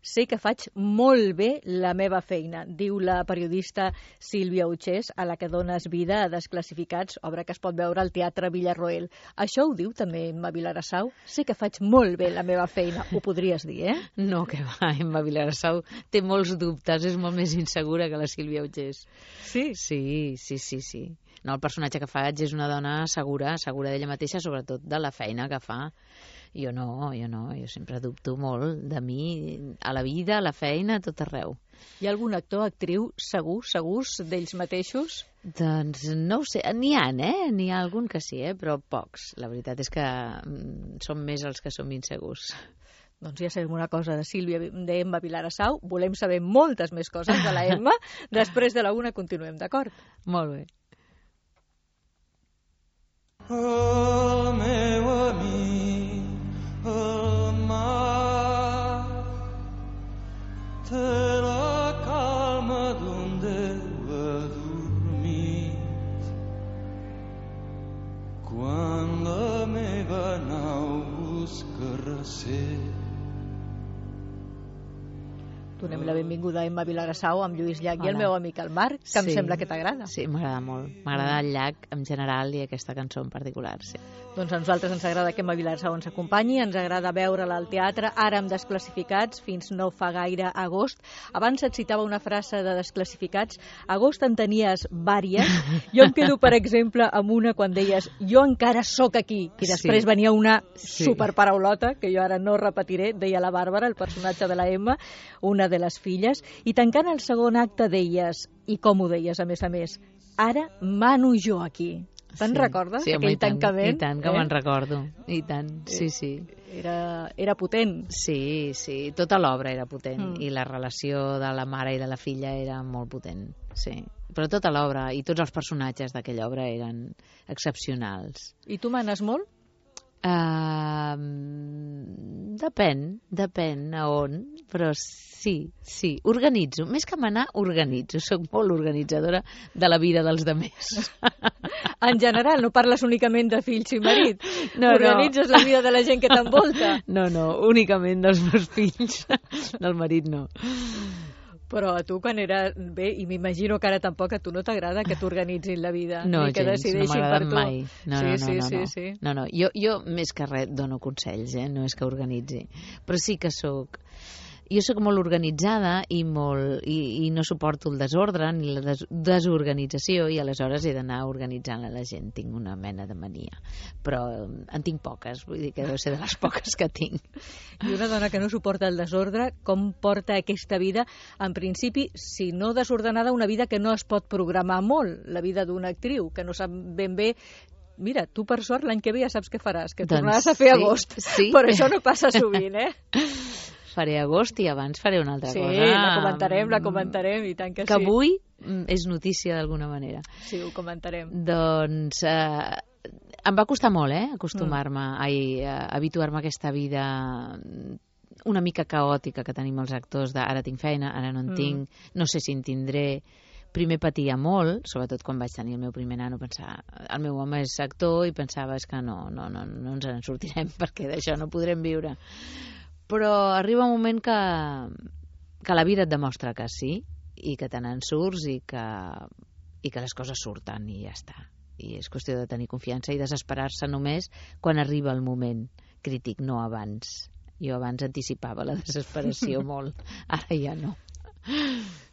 Sé que faig molt bé la meva feina, diu la periodista Sílvia Uchés, a la que dones vida a Desclassificats, obra que es pot veure al Teatre Villarroel. Això ho diu també Emma Vilarassau? Sé que faig molt bé la meva feina. Ho podries dir, eh? No, que va, Emma Vilarassau té molts dubtes, és molt més insegura que la Sílvia Uchés. Sí? Sí. No, el personatge que faig és una dona segura d'ella mateixa, sobretot de la feina que fa. Jo no, jo sempre dubto molt de mi, a la vida, a la feina, a tot arreu. Hi ha algun actor, actriu segurs d'ells mateixos? Doncs no ho sé, n'hi ha algun que sí, però pocs. La veritat és que som més els que som insegurs. Doncs ja sabem una cosa d'Emma Vilarassau, volem saber moltes més coses de la Emma, després de la una continuem, d'acord? Molt bé. El meu amic, el mar, té la calma d'un Déu adormit. Quan la meva nau busca recer. Donem la benvinguda a Emma Vilarassau amb Lluís Llach i el meu amic el Marc, que em sembla que t'agrada. Sí, m'agrada molt. M'agrada el Llach en general i aquesta cançó en particular, sí. Doncs a nosaltres ens agrada que Emma Vilarassau ens acompanyi, ens agrada veure-la al teatre, ara amb Desclassificats, fins no fa gaire agost. Abans et citava una frase de Desclassificats, agost en tenies vàries, jo em quedo, per exemple, amb una quan deies jo encara sóc aquí, i després venia una superparaulota, que jo ara no repetiré, deia la Bàrbara, el personatge de la Emma, una de les filles, i tancant el segon acte deies, i com ho deies a més, ara mano jo aquí. Te'n recordes, aquell tancament? I tant, que me'n recordo, i tant, sí. Era potent. Sí, tota l'obra era potent, i la relació de la mare i de la filla era molt potent, sí. Però tota l'obra i tots els personatges d'aquella obra eren excepcionals. I tu manes molt? Depèn a on, però sí, organitzo, més que manar, organitzo, soc molt organitzadora de la vida dels demés. En general, no parles únicament de fills i marit, organitzes la vida de la gent que t'envolta. No, únicament dels meus fills, del marit no. Però a tu quan era bé, i m'imagino que ara tampoc a tu no t'agrada que t'organitzin la vida, no, ni que gens, decideixin no per tu. Mai. Sí. No, jo més que res dono consells, no és que organitzi, però sí que sóc molt organitzada i no suporto el desordre ni la desorganització, i aleshores he d'anar organitzant la gent. Tinc una mena de mania, però en tinc poques, vull dir que deu ser de les poques que tinc. I una dona que no suporta el desordre, com porta aquesta vida? En principi, si no desordenada, una vida que no es pot programar molt, la vida d'una actriu, que no sap ben bé. Mira, tu per sort l'any que ve ja saps què faràs, que tornaràs a fer agost, però això no passa sovint, Faré agost i abans faré una altra cosa. Sí, la comentarem, i tant que sí. Que avui és notícia d'alguna manera. Sí, ho comentarem. Doncs em va costar molt, acostumar-me, habituar-me a aquesta vida una mica caòtica que tenim els actors ara tinc feina, ara no en tinc, no sé si en tindré. Primer patia molt, sobretot quan vaig tenir el meu primer nano, pensar, el meu home és actor, i pensava que no ens en sortirem perquè d'això no podrem viure. Però arriba un moment que la vida et demostra que sí, i que te n'en surts, i que les coses surten, i ja està. I és qüestió de tenir confiança i desesperar-se només quan arriba el moment crític, no abans. Jo abans anticipava la desesperació molt, ara ja no.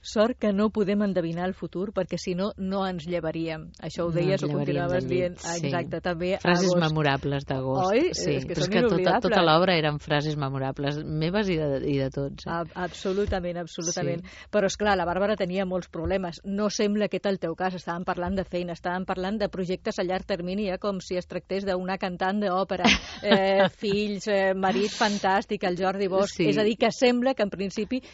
Sort que no podem endevinar el futur, perquè si no, no ens llevaríem. Això ho deies, ho continuaves dient. Exacte, també frases memorables d'agost. Oi? Sí, és que però són inolvidables. Tota l'obra eren frases memorables, meves i de tots. Absolutament. Sí. Però, esclar, la Bàrbara tenia molts problemes. No sembla aquest el teu cas. Estàvem parlant de feina, estàvem parlant de projectes a llarg termini, com si es tractés d'una cantant d'òpera. Fills, marit fantàstic, el Jordi Bosch. Sí. És a dir, que sembla que en principi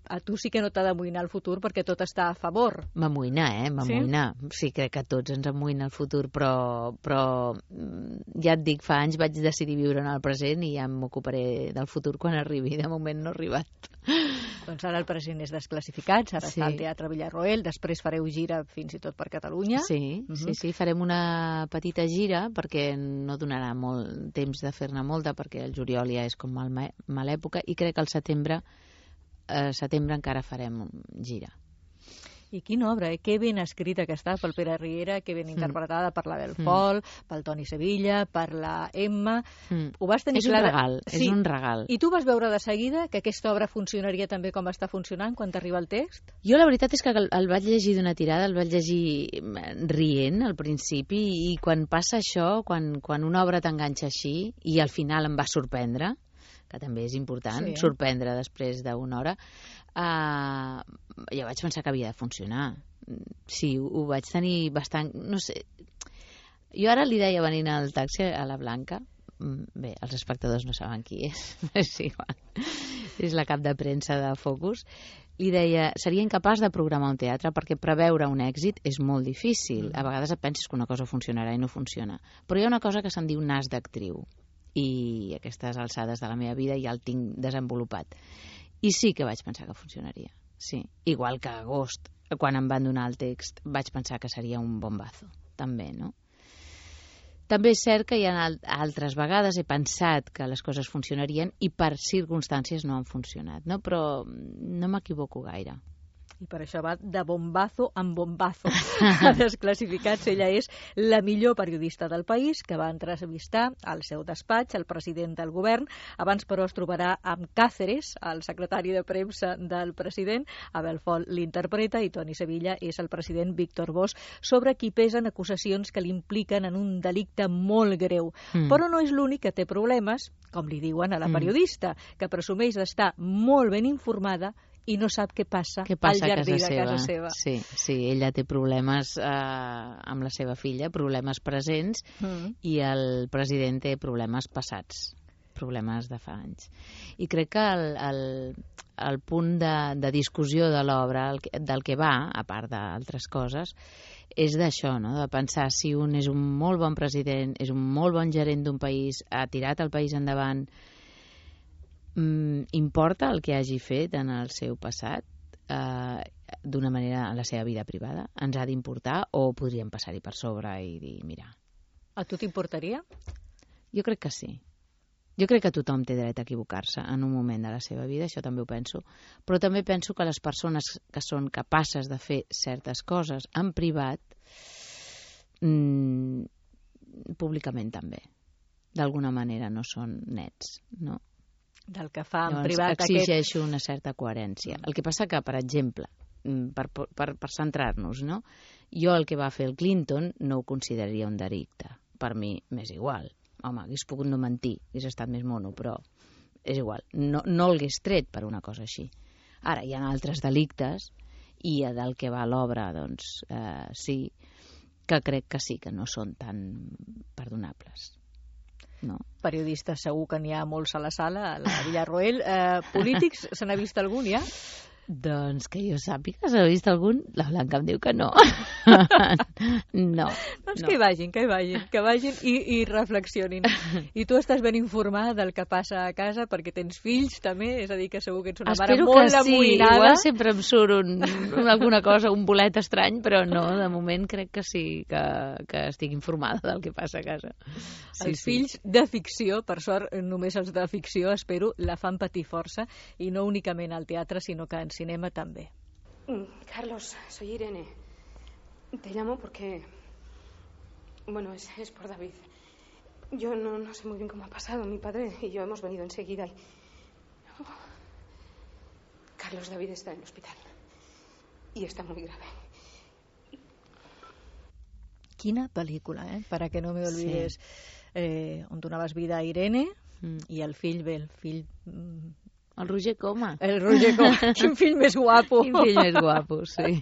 a tu sí que no t'ha d'amoïnar el futur perquè tot està a favor. M'amoïnar, m'amoïnar. Sí, crec que a tots ens amoïna el futur, però ja et dic, fa anys vaig decidir viure en el present i ja m'ocuparé del futur quan arribi. De moment no ha arribat. Doncs ara el present és Desclassificats, ara està al Teatre Villarroel, després fareu gira fins i tot per Catalunya. Sí, farem una petita gira perquè no donarà molt temps de fer-ne molta, perquè el juliol ja és com mala època, i crec que al setembre setembre encara farem gira. I quina obra, que ben escrita que està pel Pere Riera, que ben interpretada per la Bel Fol, pel Toni Sevilla, per la Emma. Ho vas tenir És un regal, és un regal. I tu vas veure de seguida que aquesta obra funcionaria també com està funcionant quan t'arriba el text? Jo la veritat és que el vaig llegir d'una tirada, el vaig llegir rient al principi, i quan passa això, quan una obra t'enganxa així, i al final em va sorprendre, que també és important, sorprendre després d'una hora, jo vaig pensar que havia de funcionar. Sí, ho vaig tenir bastant... No sé, jo ara li deia venint al taxi a la Blanca, bé, els espectadors no saben qui és igual, és la cap de premsa de Focus, li deia, seria incapaç de programar un teatre perquè preveure un èxit és molt difícil. A vegades et penses que una cosa funcionarà i no funciona. Però hi ha una cosa que se'n diu nas d'actriu, i a aquestes alçades de la meva vida ja el tinc desenvolupat. I sí que vaig pensar que funcionaria, sí. Igual que a agost, quan em van donar el text, vaig pensar que seria un bombazo, també, no? També és cert que hi ha altres vegades he pensat que les coses funcionarien i per circumstàncies no han funcionat, no? Però no m'equivoco gaire. I per això va de bombazo en bombazo. A Desclassificats, ella és la millor periodista del país, que va entrevistar al seu despatx el president del govern. Abans, però, es trobarà amb Cáceres, el secretari de premsa del president. Abel Fol l'interpreta i Toni Sevilla és el president Víctor Bosch, sobre qui pesen acusacions que l'impliquen en un delicte molt greu. Però no és l'únic que té problemes, com li diuen a la periodista, que presumeix d'estar molt ben informada i no sap què passa al jardí de casa seva. Sí, ella té problemes amb la seva filla, problemes presents, i el president té problemes passats, problemes de fa anys. I crec que el punt de discussió de l'obra, del que va, a part d'altres coses, és d'això, no? De pensar si un és un molt bon president, és un molt bon gerent d'un país, ha tirat el país endavant, importa el que hagi fet en el seu passat d'una manera en la seva vida privada? Ens ha d'importar o podríem passar-hi per sobre i dir, mira... A tu t'importaria? Jo crec que sí. Jo crec que tothom té dret a equivocar-se en un moment de la seva vida, això també ho penso, però també penso que les persones que són capaces de fer certes coses en privat, públicament també. D'alguna manera no són nets, no? Del que fa en Llavors, privat exigeixo una certa coherència. El que passa que, per exemple, per centrar-nos, no? Jo el que va fer el Clinton no ho consideraria un delicte. Per mi m'és igual. Home, hagués pogut no mentir, hagués estat més mono, però és igual. No l'hagués tret per una cosa així. Ara, hi ha altres delictes, i del que va l'obra, doncs, sí, que crec que sí, que no són tan perdonables. No. Periodistes segur que n'hi ha molts a la sala, a la Villarroel. Polítics, se n'ha vist algun ja? Doncs que jo sàpiga, s'ha vist algun? La Blanca em diu que no. No. Doncs no. Que vagin i reflexionin. I tu estàs ben informada del que passa a casa perquè tens fills també, és a dir, que segur que ets una mare molt amoïnada. Igual sempre em surt alguna cosa, un bolet estrany, però no, de moment crec que sí, que estic informada del que passa a casa. Els fills de ficció, per sort només els de ficció, espero, la fan patir força, i no únicament al teatre, sinó que en cinema també. Carlos, soy Irene. Te llamo porque... Bueno, es por David. Yo no sé muy bien cómo ha pasado. Mi padre y yo hemos venido enseguida y... Carlos, David está en el hospital. Y está muy grave. Quina pel·lícula, Para que no me olvides. Sí. On donaves vida a Irene i el fill, el Roger Coma. El Roger Coma. Quin fill més guapo. Quin fill més guapo, sí.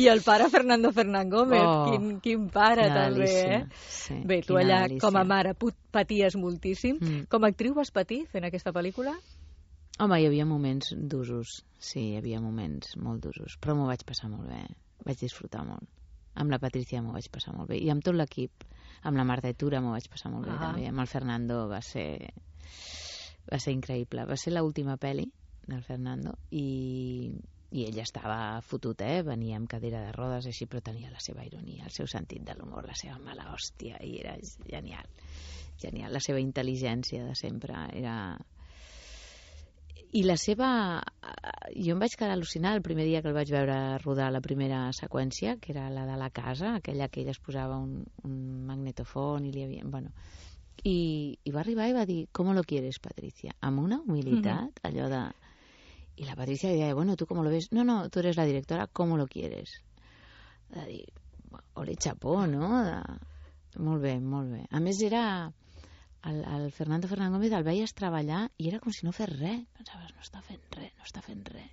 I el pare Fernando Fernán Gómez. Quin pare, també, Sí, bé, tu allà com a mare paties moltíssim. Com a actriu vas patir fent aquesta pel·lícula? Home, hi havia moments d'usos. Sí, hi havia moments molt d'usos. Però m'ho vaig passar molt bé. Vaig disfrutar molt. Amb la Patricia m'ho vaig passar molt bé. I amb tot l'equip. Amb la Marta Etura m'ho vaig passar molt bé, també. Amb el Fernando va ser increïble. Va ser l'última pel·li del Fernando i ell estava fotut, venia amb cadira de rodes així, però tenia la seva ironia, el seu sentit de l'humor, la seva mala hòstia, i era genial. La seva intel·ligència de sempre era... I la seva jo em vaig quedar al·lucinada el primer dia que el vaig veure rodar la primera seqüència, que era la de la casa, aquella que ell es posava un magnetofon i li havia... Bueno, i va arribar i va dir, ¿cómo lo quieres, Patricia? Amb una humilitat, allò de... I la Patricia deia, bueno, ¿tú cómo lo ves? No, tú eres la directora, ¿cómo lo quieres? De dir, ole chapó, no? Molt bé, molt bé. A més, era... El Fernando Gómez el veies treballar i era com si no fes res. Pensaves, no està fent res.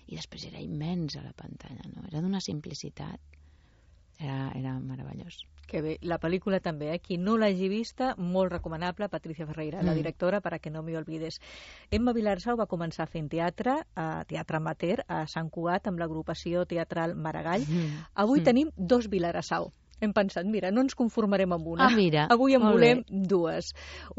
I després era immens a la pantalla, no? Era d'una simplicitat. Era meravellós. Que bé, la pel·lícula també, qui no l'hagi vista, molt recomanable, Patricia Ferreira, la directora, para que no me olvides. Emma Vilarsau va començar fent teatre amateur, a Sant Cugat, amb l'agrupació teatral Maragall. Avui tenim 2 Vilarsau. Hem pensat, mira, no ens conformarem amb una. Mira, avui en volem 2.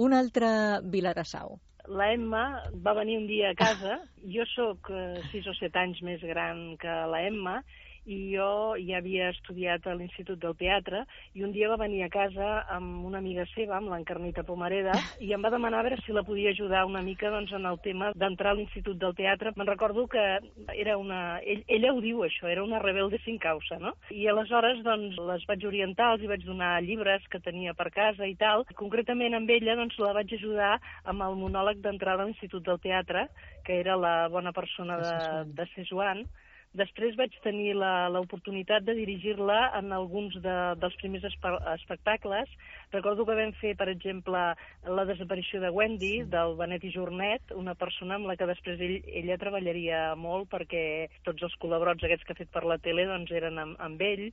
Una altra Vilarsau. La Emma va venir un dia a casa. Jo sóc 6 o 7 anys més gran que la Emma i jo ja havia estudiat a l'Institut del Teatre i un dia va venir a casa amb una amiga seva, amb l'Encarnita Pomareda, i em va demanar a veure si la podia ajudar una mica doncs, en el tema d'entrar a l'Institut del Teatre. Me'n recordo que era una... Ella ho diu, això, era una rebelde sin causa, no? I aleshores doncs, les vaig orientar, els hi vaig donar llibres que tenia per casa i tal. Concretament amb ella doncs, la vaig ajudar amb el monòleg d'entrada a l'Institut del Teatre, que era la bona persona de Sesuan. Després vaig tenir l'oportunitat de dirigir-la en alguns dels primers espectacles. Recordo que vam fer, per exemple, La desaparició de Wendy, del Benet i Jornet, una persona amb la que després ella treballaria molt perquè tots els col·laborats aquests que ha fet per la tele doncs, eren amb ell.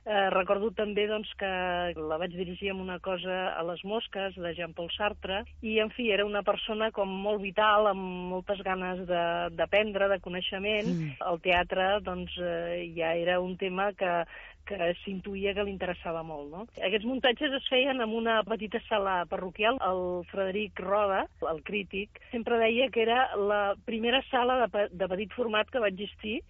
Recordo també doncs, que la vaig dirigir amb una cosa a Les mosques, de Jean-Paul Sartre, i, en fi, era una persona com molt vital, amb moltes ganes d'aprendre, de coneixement. El teatre, doncs, ja era un tema que s'intuïa que li interessava molt, no? Aquests muntatges es feien en una petita sala parroquial. El Frederic Roda, el crític, sempre deia que era la primera sala de petit format que va existir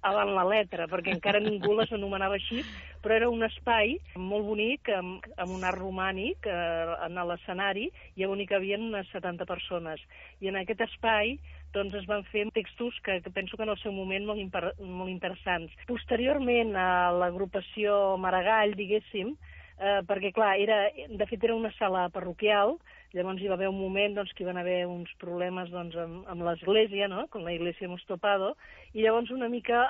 avant la letra, perquè encara ningú les anomenava així, però era un espai molt bonic, amb un art romànic en l'escenari, i on hi cabien unes 70 persones. I en aquest espai doncs es van fer textos que penso que en el seu moment molt interessants. Posteriorment a l'agrupació Maragall, diguéssim, perquè clar, de fet era una sala parroquial, llavors hi va haver un moment doncs, que hi van haver uns problemes doncs, amb l'església, no? Con la iglesia hemos topado, i llavors una mica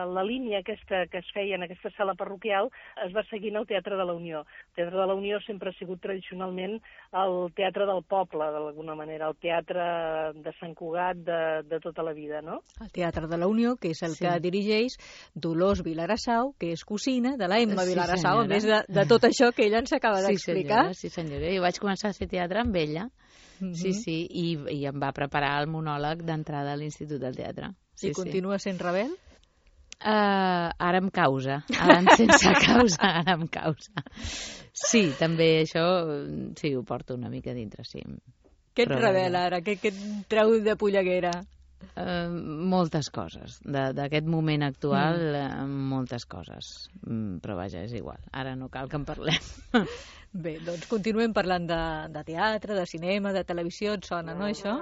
la línia aquesta que es feia en aquesta sala parroquial es va seguir al Teatre de la Unió. El Teatre de la Unió sempre ha sigut tradicionalment el teatre del poble, d'alguna manera, el teatre de Sant Cugat de tota la vida, no? El Teatre de la Unió, que és el que dirigeix Dolors Vilarsau, que és cosina de la Emma Vilarsau, a més de tot això que ella ens acaba d'explicar. Sí, senyora. Jo vaig començar a fer teatre amb ella, i em va preparar el monòleg d'entrada a l'Institut del Teatre. I continua sent rebel? Ara amb causa. Ara sense causa, ara amb causa. Sí, també això, sí, ho porto una mica dintre, sí. Què et revela ara? Què et treu de polleguera? Moltes coses. D'aquest moment actual, moltes coses. Però vaja, és igual. Ara no cal que en parlem. Bé, doncs continuem parlant de teatre, de cinema, de televisió. Et sona, no, això?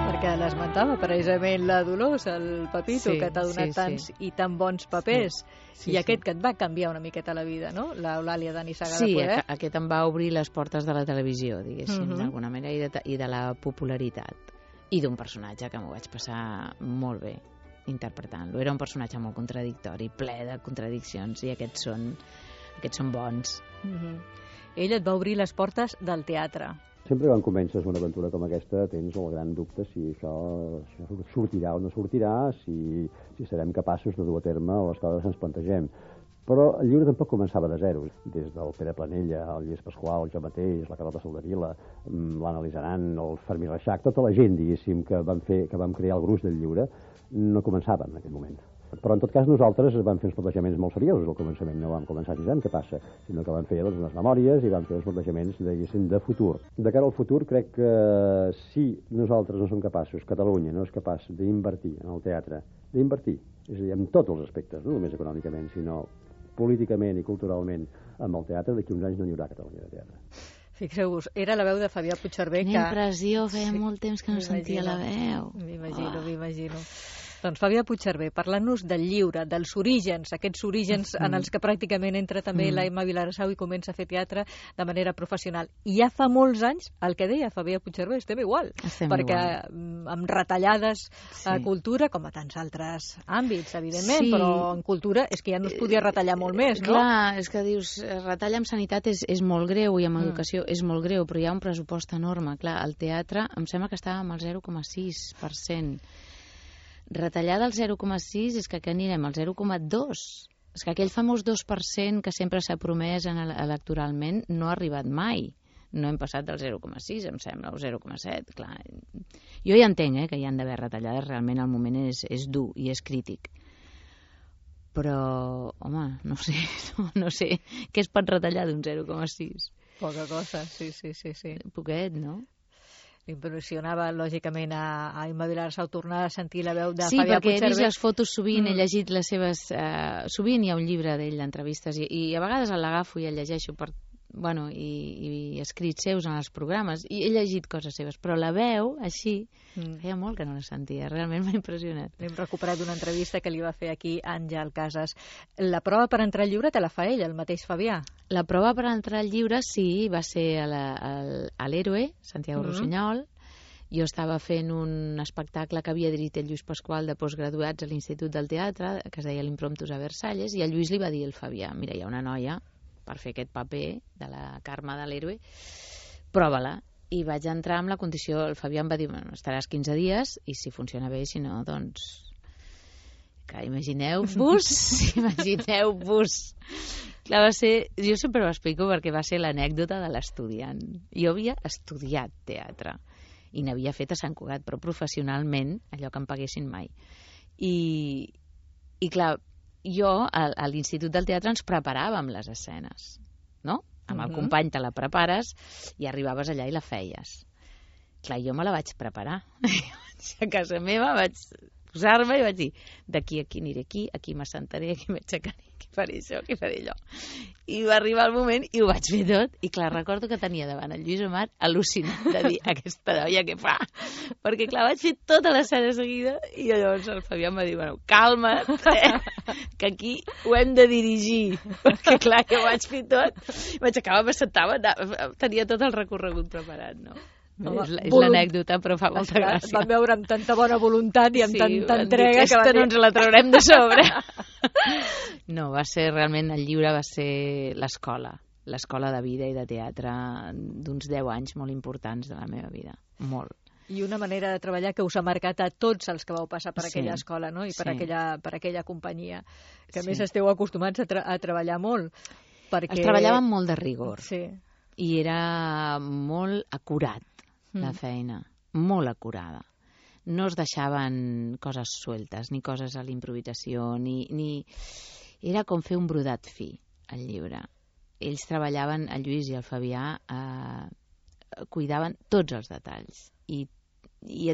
Perquè l'esmentava precisament la Dolors, el Pepito, que t'ha donat tants i tan bons papers. I aquest que et va canviar una miqueta la vida, no? L'Eulàlia de Nissaga de Poder. Sí, aquest em va obrir les portes de la televisió, diguéssim, d'alguna manera, i de la popularitat. I d'un personatge que m'ho vaig passar molt bé interpretant-lo. Era un personatge molt contradictori, ple de contradiccions, i aquests són bons. Ell et va obrir les portes del teatre. Sempre quan comences una aventura com aquesta tens el gran dubte si això sortirà o no sortirà, si serem capaços de dur a terme les coses que ens plantegem. Però el llibre tampoc començava de zero. Des del Pere Planella, el Lluís Pasqual, jo mateix, la Carlota Soldevila, l'Anna Lizaran, el Fermí Reixac, tota la gent, diguéssim, que vam crear el gruix del llibre, no començava en aquell moment. Però en tot cas nosaltres vam fer uns plantejaments molt seriosos al començament, no vam començar així, què passa, sinó que vam fer unes memòries i vam fer uns plantejaments, diguéssim, de futur. De cara al futur crec que si nosaltres no som capaços, Catalunya no és capaç d'invertir en el teatre, d'invertir, és a dir, en tots els aspectes, no només econòmicament, sinó políticament i culturalment amb el teatre, d'aquí uns anys no hi haurà Catalunya de teatre. Fixeu-vos, era la veu de Fabià Puigcerver. Quina impressió, feia molt temps que no sentia la veu. M'imagino. Doncs Fabià Puigcerver, parlant-nos del lliure, dels orígens, aquests orígens en els que pràcticament entra també la Emma Vilarsau i comença a fer teatre de manera professional. I ja fa molts anys, el que deia Fabià Puigcerver, estem igual, perquè amb retallades a cultura, com a tants altres àmbits, evidentment, però en cultura és que ja no es podia retallar molt més, no? Clar, és que dius, retallar amb sanitat és molt greu i amb educació és molt greu, però hi ha un pressupost enorme. Clar, el teatre em sembla que estava amb el 0,6%. Retallar del 0,6 és que anirem al 0,2. És que aquell famós 2% que sempre s'ha promès electoralment no ha arribat mai. No hem passat del 0,6, em sembla, o 0,7, clar. Jo ja entenc que hi han d'haver retallades, realment el moment és dur i és crític. Però, home, no sé. Què es pot retallar d'un 0,6? Poca cosa, sí. Poquet, no? Impressionava, lògicament, a Emma Vilarsau tornar a sentir la veu de Fabià Puigcerver. Sí, perquè he vist les fotos sovint, he llegit les seves... sovint hi ha un llibre d'ell d'entrevistes i a vegades l'agafo i el llegeixo i escrits seus en els programes i he llegit coses seves, però la veu, així, feia molt que no la sentia, realment m'ha impressionat. Hem recuperat una entrevista que li va fer aquí Àngel Casas. La prova per entrar al llibre te la fa ell, el mateix Fabià? La prova per entrar al llibre, sí, va ser a l'Héroe, Santiago Rossinyol. Jo estava fent un espectacle que havia dirigit el Lluís Pasqual de postgraduats a l'Institut del Teatre, que es deia l'Impromptus a Versalles, i el Lluís li va dir al Fabià, mira, hi ha una noia per fer aquest paper de la Carme de l'Héroe, prova-la. I vaig entrar amb la condició, el Fabià em va dir, bueno, estaràs 15 dies i si funciona bé, si no, doncs... Que imagineu-vos. Clar, va ser... Jo sempre ho explico perquè va ser l'anècdota de l'estudiant. Jo havia estudiat teatre i n'havia fet a Sant Cugat, però professionalment, allò que em paguessin mai. I clar, jo a l'Institut del Teatre ens preparàvem les escenes, no? Amb el company te la prepares i arribaves allà i la feies. Clar, jo me la vaig preparar. A casa meva vaig posar-me i vaig dir, d'aquí a aquí aniré aquí m'assentaré, aquí m'aixecaré, aquí faré això, aquí faré allò. I va arribar el moment i ho vaig fer tot. I clar, recordo que tenia davant el Lluís Omar al·lucinat de dir, aquesta noia què fa? Perquè clar, vaig fer tota l'escena seguida i llavors el Fabià em va dir, bueno, calma't, que aquí ho hem de dirigir. Perquè clar, jo ho vaig fer tot. M'aixecava, m'assentava, tenia tot el recorregut preparat, no? És l'anècdota, però fa molta gràcia. Vam veure amb tanta bona voluntat i amb tanta entrega que aquesta no ens la traurem de sobre. No, va ser realment, el llibre va ser l'escola de vida i de teatre d'uns 10 anys molt importants de la meva vida, molt. I una manera de treballar que us ha marcat a tots els que vau passar per aquella escola, no? I per aquella companyia, que a més esteu acostumats a treballar molt. Perquè... Es treballava amb molt de rigor. Sí. I era molt acurat. La feina, molt acurada. No es deixaven coses sueltes, ni coses a l'improvisació, ni... Era com fer un brodat fi, el llibre. Ells treballaven, el Lluís i el Fabià, cuidaven tots els detalls i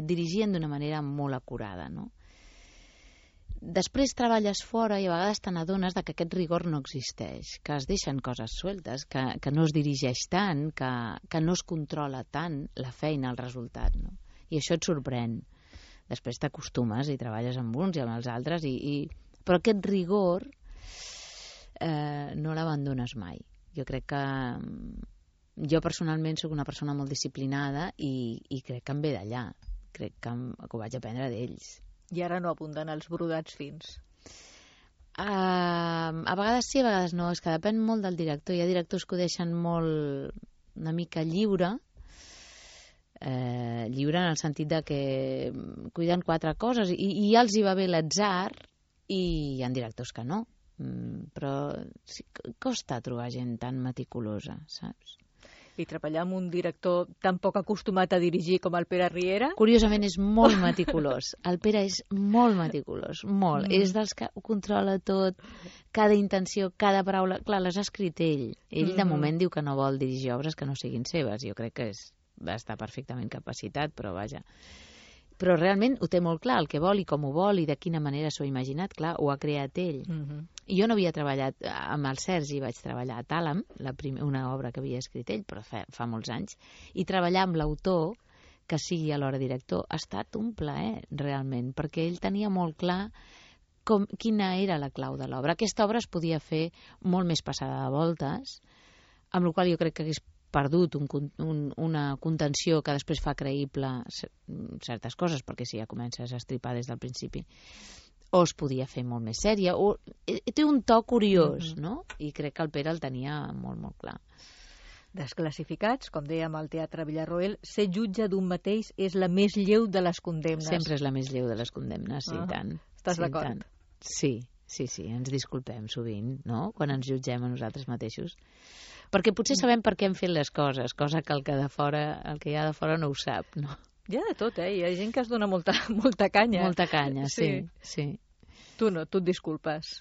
et dirigien d'una manera molt acurada, no? Després treballes fora i a vegades te n'adones que aquest rigor no existeix, que es deixen coses sueltes, que no es dirigeix tant, que no es controla tant la feina, el resultat, no? I això et sorprèn. Després t'acostumes i treballes amb uns i amb els altres, però aquest rigor no l'abandones mai. Jo crec que... Jo personalment soc una persona molt disciplinada i crec que em ve d'allà. Crec que ho vaig aprendre d'ells. I ara no apunten els brodats fins? A vegades sí, a vegades no. És que depèn molt del director. Hi ha directors que ho deixen molt una mica lliure. Lliure en el sentit de que cuiden 4 coses i ja els hi va bé l'atzar i hi ha directors que no. Però sí, costa trobar gent tan meticulosa, saps? I treballar amb un director tan poc acostumat a dirigir com el Pere Riera? Curiosament és molt meticulós. El Pere és molt meticulós, molt. És dels que ho controla tot, cada intenció, cada paraula. Clar, les ha escrit ell. Ell de moment diu que no vol dirigir obres que no siguin seves. Jo crec que va estar perfectament capacitat, però vaja. Però realment ho té molt clar, el que vol i com ho vol i de quina manera s'ho ha imaginat, clar, ho ha creat ell. Jo no havia treballat amb el Sergi, vaig treballar a Tàlam, una obra que havia escrit ell, però fa molts anys, i treballar amb l'autor, que sigui alhora director, ha estat un plaer, realment, perquè ell tenia molt clar quina era la clau de l'obra. Aquesta obra es podia fer molt més passada de voltes, amb la qual jo crec que hagués perdut una contenció que després fa creïble certes coses, perquè si ja comences a estripar des del principi, o es podia fer molt més sèria, o té un to curiós, no? I crec que el Pere el tenia molt, molt clar. Desclassificats, com dèiem al Teatre Villarroel, ser jutge d'un mateix és la més lleu de les condemnes. Sempre és la més lleu de les condemnes, sí, tant. Estàs d'acord? Sí, ens disculpem sovint, no?, quan ens jutgem a nosaltres mateixos. Perquè potser sabem per què hem fet les coses, cosa que el que hi ha de fora no ho sap, no? Hi ha de tot, Hi ha gent que es dona molta canya. Molta canya, sí. Tu no, tu et disculpes.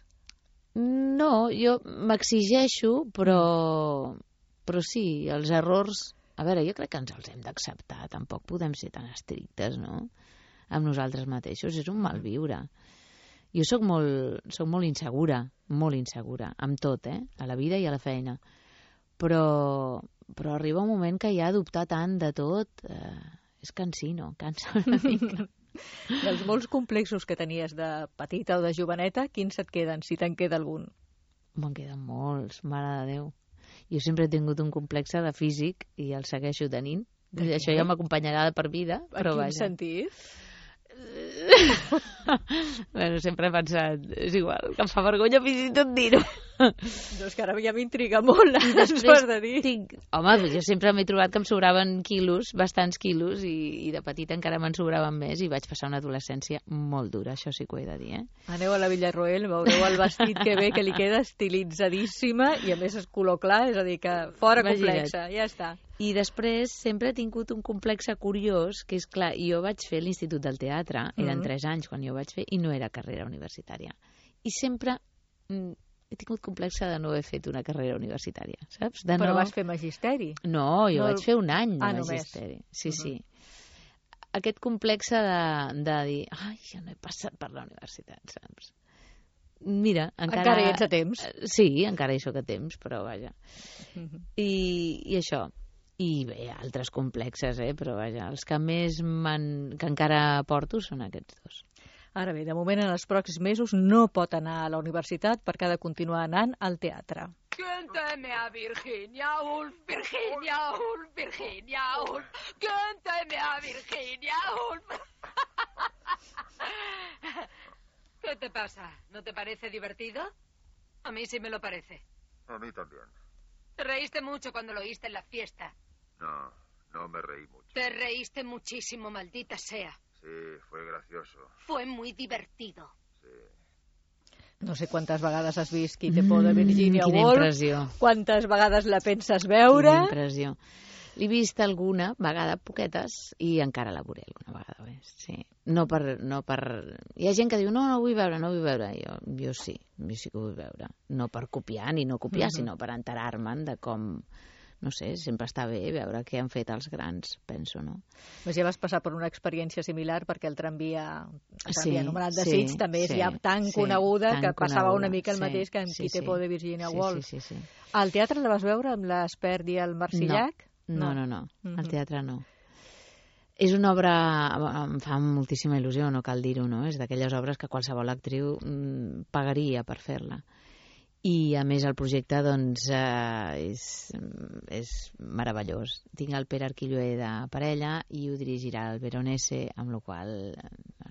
No, jo m'exigeixo, però sí, els errors... A veure, jo crec que ens els hem d'acceptar, tampoc podem ser tan estrictes, no?, amb nosaltres mateixos, és un mal viure. Jo soc molt insegura, amb tot, a la vida i a la feina. Però arriba un moment que ja dubtar tant de tot és cansino, cansa una mica. Dels molts complexos que tenies de petita o de joveneta, quins et queden, si te'n queda algun? Me'n queden molts, mare de Déu. Jo sempre he tingut un complex de físic i el segueixo tenint. Això ja m'acompanyarà de per vida. En quin sentit? Bueno, sempre he pensat, és igual, que em fa vergonya fins i tot dir-ho. No, és que ara ja m'intriga molt, ens ho has de dir. Home, jo sempre m'he trobat que em sobraven quilos, bastants quilos, i de petita encara me'n sobraven més, i vaig passar una adolescència molt dura, això sí que ho he de dir, Aneu a la Villarroel, veureu el vestit que ve, que li queda estilitzadíssima, i a més és color clar, és a dir, que fora complexa, ja està. I després sempre he tingut un complex curiós, que és clar, jo vaig fer l'Institut del Teatre, eren 3 anys quan jo vaig fer, i no era carrera universitària. I sempre he tingut complex de no haver fet una carrera universitària, saps? Però vas fer magisteri? No, jo vaig fer un any de magisteri. Sí. Aquest complex de dir, ai, jo no he passat per la universitat, saps? Mira, encara hi ets a temps. Sí, encara hi soc a temps, però vaja. I això. I bé, altres complexes, però vaja, els que més que encara porto són aquests dos. Ara bé, de moment en els pròxims mesos no pot anar a la universitat perquè ha de continuar anant al teatre. Cántame a Virginia Woolf, Virginia Woolf, Virginia Woolf. Cántame a Virginia Woolf. ¿Qué te pasa? ¿No te parece divertido? A mí sí me lo parece. A mí también. Te reíste mucho cuando lo oíste en la fiesta. No me reí mucho. Te reíste muchísimo, maldita sea. Sí, fue gracioso. Fue muy divertido. Sí. No sé quantes vegades has vist Qui te por de Virginia Woolf. Quina impressió. Quantes vegades la penses veure. Quina impressió. L'he vist alguna vegada, poquetes, i encara la veuré alguna vegada més. Sí. No per... Hi ha gent que diu, no vull veure. Jo sí que ho vull veure. No per copiar ni no copiar, sinó per enterar-me'n de com... No sé, sempre està bé veure què han fet els grans, penso, no? Doncs ja vas passar per una experiència similar perquè el tramvia anomenat de Sitges també és ja tan coneguda que passava una mica el mateix que en Qui te por de Virginia Woolf. Sí. Al teatre la vas veure amb l'Espert i el Marsillac? No. Al teatre no. És una obra, em fa moltíssima il·lusió, no cal dir-ho, no? És d'aquelles obres que qualsevol actriu pagaria per fer-la. I a més el projecte doncs és meravellós. Tinc el Pere Arquilloé de parella i ho dirigirà el Veronese, amb la qual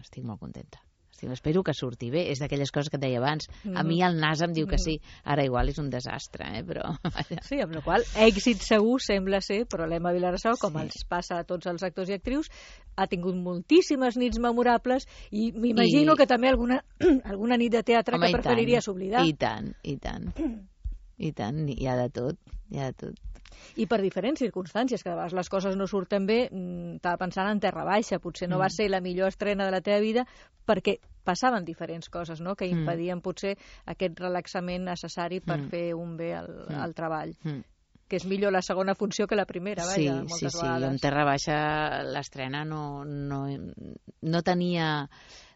estic molt contenta. Espero que surti bé. És d'aquelles coses que et deia abans. A mi el nas em diu que sí. Ara igual és un desastre, però... Sí, amb la qual èxit segur sembla ser, però l'Emma Vilarsau, com els passa a tots els actors i actrius, ha tingut moltíssimes nits memorables i m'imagino que també alguna nit de teatre que preferiries oblidar. I tant. Hi ha de tot. I per diferents circumstàncies, que a vegades les coses no surten bé, estava pensant en Terra Baixa, potser no va ser la millor estrena de la teva vida, perquè passaven diferents coses, no?, que impedien potser aquest relaxament necessari per fer un bé al treball. que és millor la segona funció que la primera, vaja, moltes vegades. En Terra Baixa l'estrena no tenia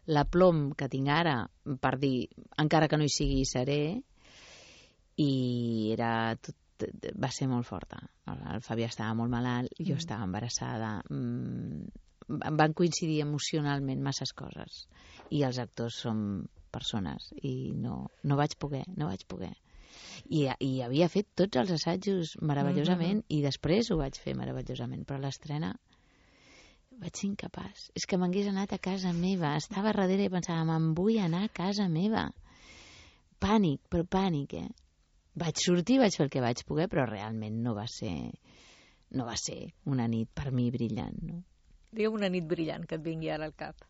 l'aplom que tinc ara per dir, encara que no hi sigui hi seré, i va ser molt forta. El Fabià estava molt malalt, jo estava embarassada, van coincidir emocionalment masses coses, i els actors som persones, i no vaig poder. I havia fet tots els assajos meravellosament, i després ho vaig fer meravellosament, però l'estrena vaig ser incapaç. És que m'hagués anat a casa meva, estava darrere i pensava, me'n vull anar a casa meva. Pànic, però pànic, Vaig sortir, vaig fer el que vaig poder, però realment no va ser una nit per mi brillant, no? Digue'm una nit brillant que et vingui ara al cap.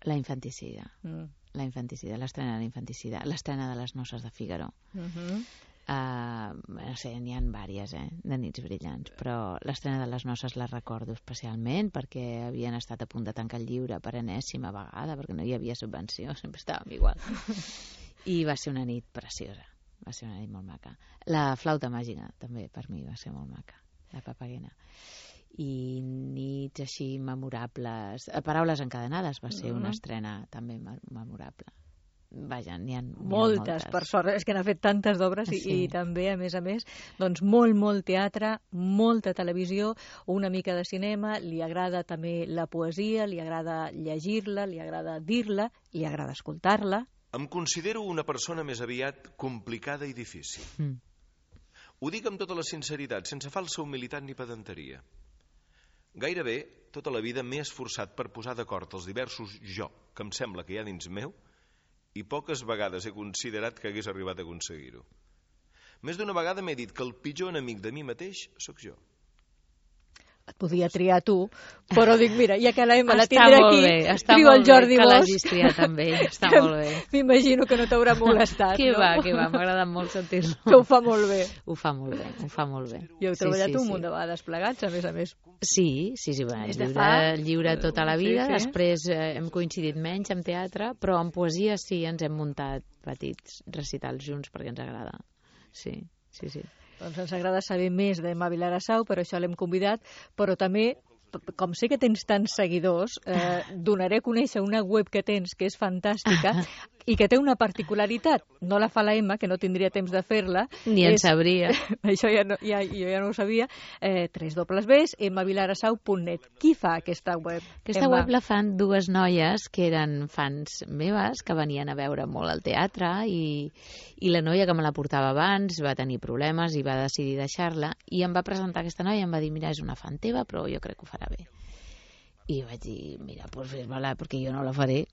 La infanticida. La infanticida, l'estrena de la infanticida, l'estrena de Les noces de Fígaro. No sé, n'hi ha vàries, de nits brillants, però l'estrena de Les noces la recordo especialment perquè havien estat a punt de tancar el llibre per enèsima vegada, perquè no hi havia subvenció, sempre estàvem igual. I va ser una nit preciosa. Va ser una nit molt maca. La flauta màgica, també, per mi, va ser molt maca. La Papagena. I nits així memorables. Paraules encadenades va ser una estrena també memorable. Vaja, n'hi ha moltes. Per sort, és que n'ha fet tantes d'obres i també, a més, doncs molt teatre, molta televisió, una mica de cinema, li agrada també la poesia, li agrada llegir-la, li agrada dir-la, li agrada escoltar-la. Em considero una persona més aviat complicada i difícil. Ho dic amb tota la sinceritat, sense falsa humilitat ni pedanteria. Gairebé tota la vida m'he esforçat per posar d'acord els diversos jo que em sembla que hi ha dins meu i poques vegades he considerat que hagués arribat a aconseguir-ho. Més d'una vegada m'he dit que el pitjor enemic de mi mateix sóc jo. Et podia triar tu, però dic, mira, ja que la Emma la tindré aquí, trio el Jordi Bosch. Que l'hagis triat amb ell, està molt bé. M'imagino que no t'haurà molestat, no? Que va, m'ha agradat molt sentir-lo. Que ho fa molt bé. Ho fa molt bé. I heu treballat un munt de vegades plegats, a més. Sí, lliure tota la vida, després hem coincidit menys en teatre, però en poesia sí, ens hem muntat petits recitals junts perquè ens agrada. Sí. Doncs ens agrada saber més d'Emma Vilagrasau, per això l'hem convidat, però també, com sé que tens tants seguidors, donaré a conèixer una web que tens que és fantàstica i que té una particularitat. No la fa la Emma, que no tindria temps de fer-la. Ni en sabria. Això jo ja no ho sabia. www.emmavilagrasau.net. Qui fa aquesta web? Aquesta web la fan dues noies que eren fans meves, que venien a veure molt al teatre, i la noia que me la portava abans va tenir problemes i va decidir deixar-la, i em va presentar aquesta noia i em va dir, mira, és una fan teva, però jo crec que ho farà bé. I vaig dir, mira, doncs fes-me-la, perquè jo no la faré.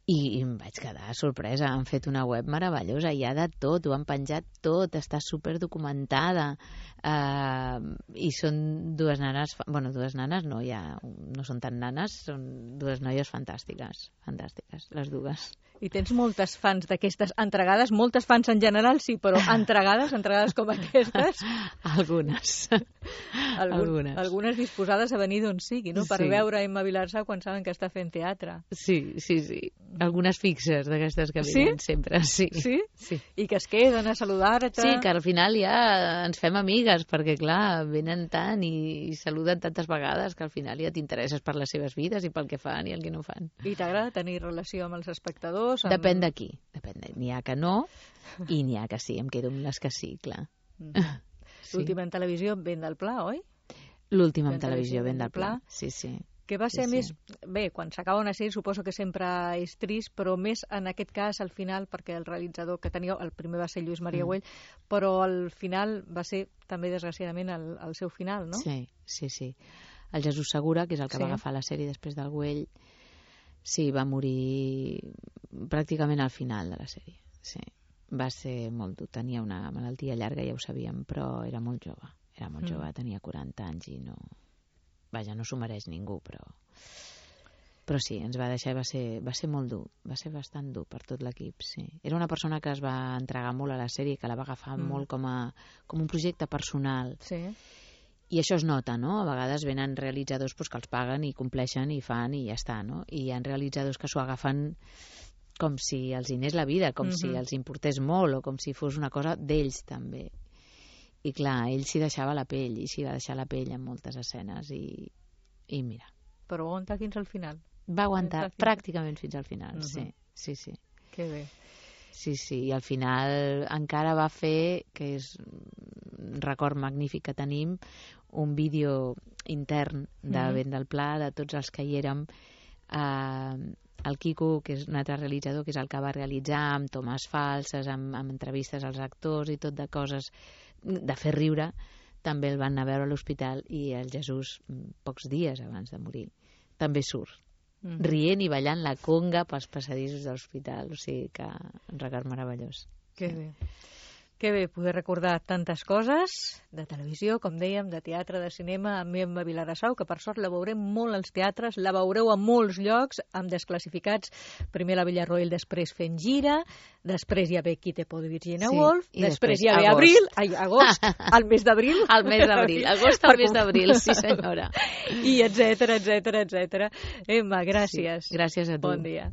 I em vaig quedar sorpresa. Han fet una web meravellosa, hi ha de tot, ho han penjat tot, està superdocumentada, i són dues nanes, dues nanes no, no són tan nanes, són dues noies fantàstiques, les dues. I tens moltes fans d'aquestes entregades, moltes fans en general, sí, però entregades com aquestes? Algunes. Algunes disposades a venir d'on sigui, no? Per veure Emma Vilagrasau quan saben que està fent teatre. Sí. Algunes fixes d'aquestes que venen sempre, sí. Sí? I que es queden a saludar-te. Sí, que al final ja ens fem amigues, perquè clar, venen tant i saluden tantes vegades que al final ja t'interesses per les seves vides i pel que fan i el que no fan. I t'agrada tenir relació amb els espectadors? Depèn de qui. N'hi ha que no i n'hi ha que sí. Em quedo amb les que sí, clar. L'última en televisió, Ben del Pla, oi? L'última en televisió, Ben del Pla. Sí. Que va ser més... Bé, quan s'acaba una sèrie suposo que sempre és trist, però més en aquest cas al final, perquè el realitzador que tenia, el primer va ser Lluís Maria Güell, però al final va ser també desgraciadament el seu final, no? Sí. El Jesús Segura, que és el que va agafar la sèrie després del Güell, sí, va morir pràcticament al final de la sèrie. Sí. Va ser molt dur. Tenia una malaltia llarga, ja ho sabíem, però era molt jove. Tenia 40 anys i no... Vaja, no s'ho mereix ningú, però sí, ens va deixar i va ser molt dur, va ser bastant dur per tot l'equip, sí. Era una persona que es va entregar molt a la sèrie, que la va agafar molt com un projecte personal. Sí. I això es nota, no? A vegades venen realitzadors que els paguen i compleixen i fan i ja està, no? I hi ha realitzadors que s'ho agafen com si els hi anés la vida, com si els importés molt o com si fos una cosa d'ells també. I clar, ell s'hi deixava la pell, i s'hi va deixar la pell en moltes escenes, i mira. Però va aguantar fins al final. Va aguantar pràcticament fins al final, sí. Que bé. Sí, i al final encara va fer, que és un record magnífic que tenim, un vídeo intern de Vent del Pla, de tots els que hi érem. El Quico, que és un altre realitzador, que és el que va realitzar amb tomes falses, amb entrevistes als actors i tot de coses de fer riure, també el van anar a veure a l'hospital, i el Jesús, pocs dies abans de morir, també surt rient i ballant la conga pels passadissos de l'hospital. O sigui que un record meravellós. Que bé. Que bé poder recordar tantes coses de televisió, com dèiem, de teatre, de cinema, amb Emma Vilarassau, que per sort la veurem molt als teatres, la veureu a molts llocs, amb Desclassificats, primer a la Villarroel, després fent gira, després hi ha Qui te pot Virginia Woolf, després hi ha agost, al mes d'abril. Al mes d'abril, agost al mes d'abril, sí senyora. I etcètera. Emma, gràcies. Sí, gràcies a tu. Bon dia.